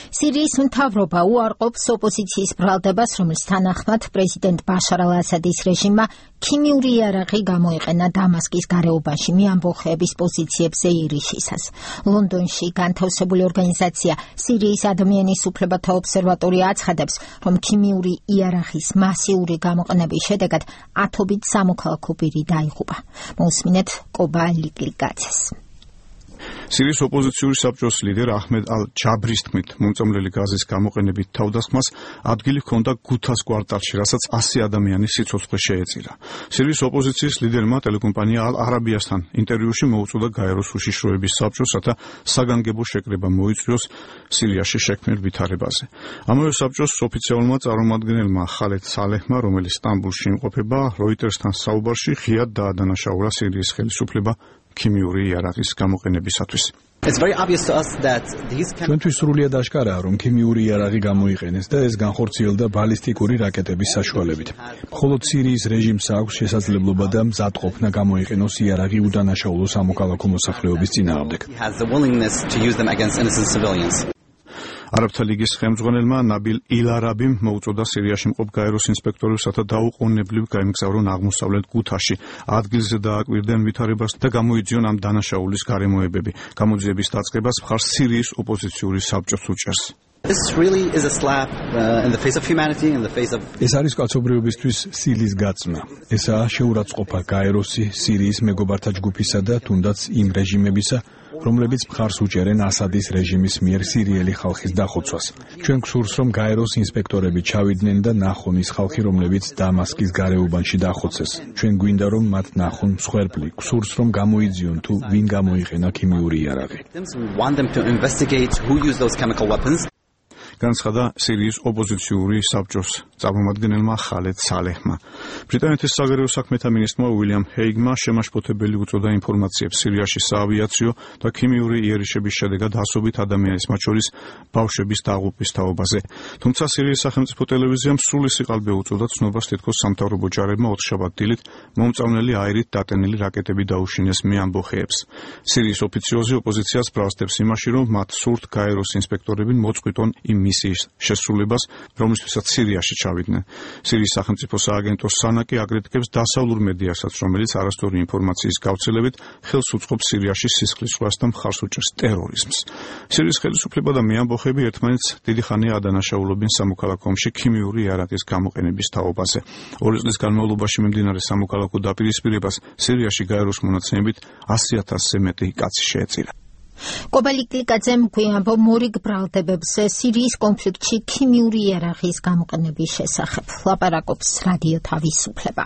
სირიის მთავრობა უარყოფს ოპოზიციის ბრალდებას, რომლის თანახმად პრეზიდენტ ბაშარ ალ-ასადის რეჟიმმა ქიმიური იარაღი გამოიყენა დამასკის გარეუბანში მიამბოხეების პოზიციებზე ირიშისას. ლონდონში განთავსებული ორგანიზაცია სირიის ადამიანის უფლებათა ობსერვატორია აცხადებს, რომ ქიმიური იარაღის მასიური გამოყენების შედეგად ათობით სამოქალაქო პირი დაიღუპა. მოусმინეთ კობა ლიგლიგაძეს. სირიის ოპოზიციური საბჭოს ლიდერ აჰმედ ალ-ჯაბრის თქმით, მომწამლელი გაზის გამოყენებით თავდასხმას ადგილი ჰქონდა გუთას კვარტალში, რასაც 100 ადამიანის სიცოცხლე შეეწირა. სირიის ოპოზიციის ლიდერმა ტელეკომპანია ალ-არაბიასთან ინტერვიუში მოუწოდა გაეროს უშიშროების საბჭოს, რათა საგანგებო შეკრება მოიწვიოს სირიაში შექმნილ ვითარებაზე. ამავე საბჭოს ოფიციალურმა წარმომადგენელმა ხალედ სალეჰმა, რომელიც სტამბულში იმყოფება, როიტერსთან საუბარში ღიად დაადანაშაულა სირიის ხელისუფლება ქიმიური იარაღის გამოყენებისათვის. ჩვენთვის სრულიად აშკარაა, რომ ქიმიური იარაღი გამოიყენეს და ეს განხორციელდა ბალისტიკური რაკეტების საშუალებით. მხოლოდ სირიის რეჟიმს აქვს შესაძლებლობა და მზადყოფნა გამოიყენოს იარაღი უდანაშაულო სამოქალაქო მოსახლეობის წინააღმდეგ. არაბთა ლიგის ხელმძღვანელმა ნაბილ ილარაბიმ მოუწოდა სირიაში მყოფ გაეროს ინსპექტორებს, რათა დაუყოვნებლივ გაემგზავრონ აღმოსავლეთ გუთაში, ადგილზე დააკვირდნენ ვითარებას და გამოიძიონ ამ დანაშაულის გარემოებები. გამოძიების დაწყებას მხარს სირიის ოპოზიციური საბჭოს უჭერს. ეს არის კაცობრიობისთვის სილის გაწმა. ესაა შეურაცხყოფა გაეროსი, სირიის მეგობართა ჯგუფისა და თუნდაც იმ რეჟიმებისა, რომლებიც მხარს უჭერენ ასადის რეჟიმის მიერ სირიელი ხალხის დახოცვას. ჩვენ გსურს, რომ გაეროს ინსპექტორები ჩავიდნენ და ნახონ ის ხალხი, რომლებიც დამასკის გარეუბანში დახოცეს. ჩვენ გვინდა, რომ მათ ნახონ მსხვერპლი. გსურს, რომ გამოიძიონ თუ ვინ გამოიყენა ქიმიური იარაღი. განცხადა სირიის ოპოზიციური საბჭოს წარმომადგენელმა ხალედ სალეჰმა. ბრიტანეთის საგარეო საქმეთა მინისტრმა უილიამ ჰეიგმა შემაშფოთებელი უწოდა ინფორმაციებს სირიაში საავიაციო და ქიმიური იერიშების შედეგად ასობით ადამიანის, მათ შორის ბავშვების დაღუპვის თაობაზე. თუმცა სირიის სახელმწიფო ტელევიზიამ სრული სიყალბე უწოდა ცნობას, თითქოს სამთავრობო ჯარებმა ოთხშაბათ დილით მომწამლელი აირით დატენილი რაკეტები დაუშინეს მიამბოხეებს. სირიის ოფიციოზი ოპოზიციას ბრალსდებს იმაში, რომ მათ სურთ გაეროს ინსპექტორები მოწყვიტონ იმ მისიის შესრულებას, რომლისთვისაც სირიაში ჩავიდნენ. სირიის სახელმწიფო სააგენტო სანაკი აგრეთკებს დასავლურ მედიასაც, რომელიც არასწორი ინფორმაციის გავრცელებით ხელს უწყობს სირიაში სისხლისღვრას და მხარს უჭერს ტერორიზმს. სირიის ხელისუფლება და მიამბოხები ერთმანეთს დიდი ხანია ადანაშაულებენ სამოქალაქო ომში ქიმიური იარაღის გამოყენების თაობაზე. 2 წლის განმავლობაში მიმდინარე სამოქალაქო დაპირისპირებას სირიაში გაეროს მონაცემებით 100,000-ზე მეტი კაცი შეეწირა. კობა ლიგლიგაძემ გვიამბო მორიგ ბრალდებებზე სირიის კონფლიქტში ქიმიური იარაღის გამოყენების შესახებ. ლაპარაკობს რადიო თავისუფლება.